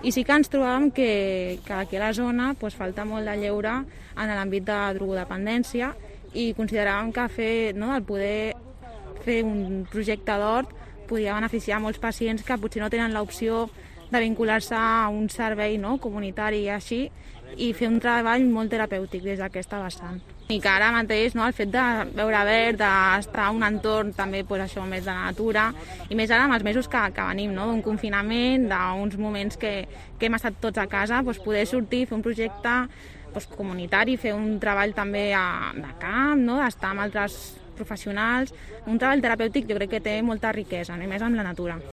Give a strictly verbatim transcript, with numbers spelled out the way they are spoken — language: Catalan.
I sí que ens trobàvem que, que aquí a la zona pues, falta molt de lleure en l'àmbit de drogodependència i consideràvem que fer, no, el poder fer un projecte d'hort podia beneficiar molts pacients que potser no tenen l'opció de vincular-se a un servei, no, comunitari i així, i fer un treball molt terapèutic des d'aquesta vessant. I que ara mateix, no, el fet de veure verd, d'estar en un entorn també pues, això, més de natura, i més ara amb els mesos que, que venim, no, d'un confinament, d'uns moments que, que hem estat tots a casa, pues, poder sortir, fer un projecte pues, comunitari, fer un treball també a, de camp, no, d'estar amb altres professionals, un treball terapèutic jo crec que té molta riquesa, no, i més amb la natura.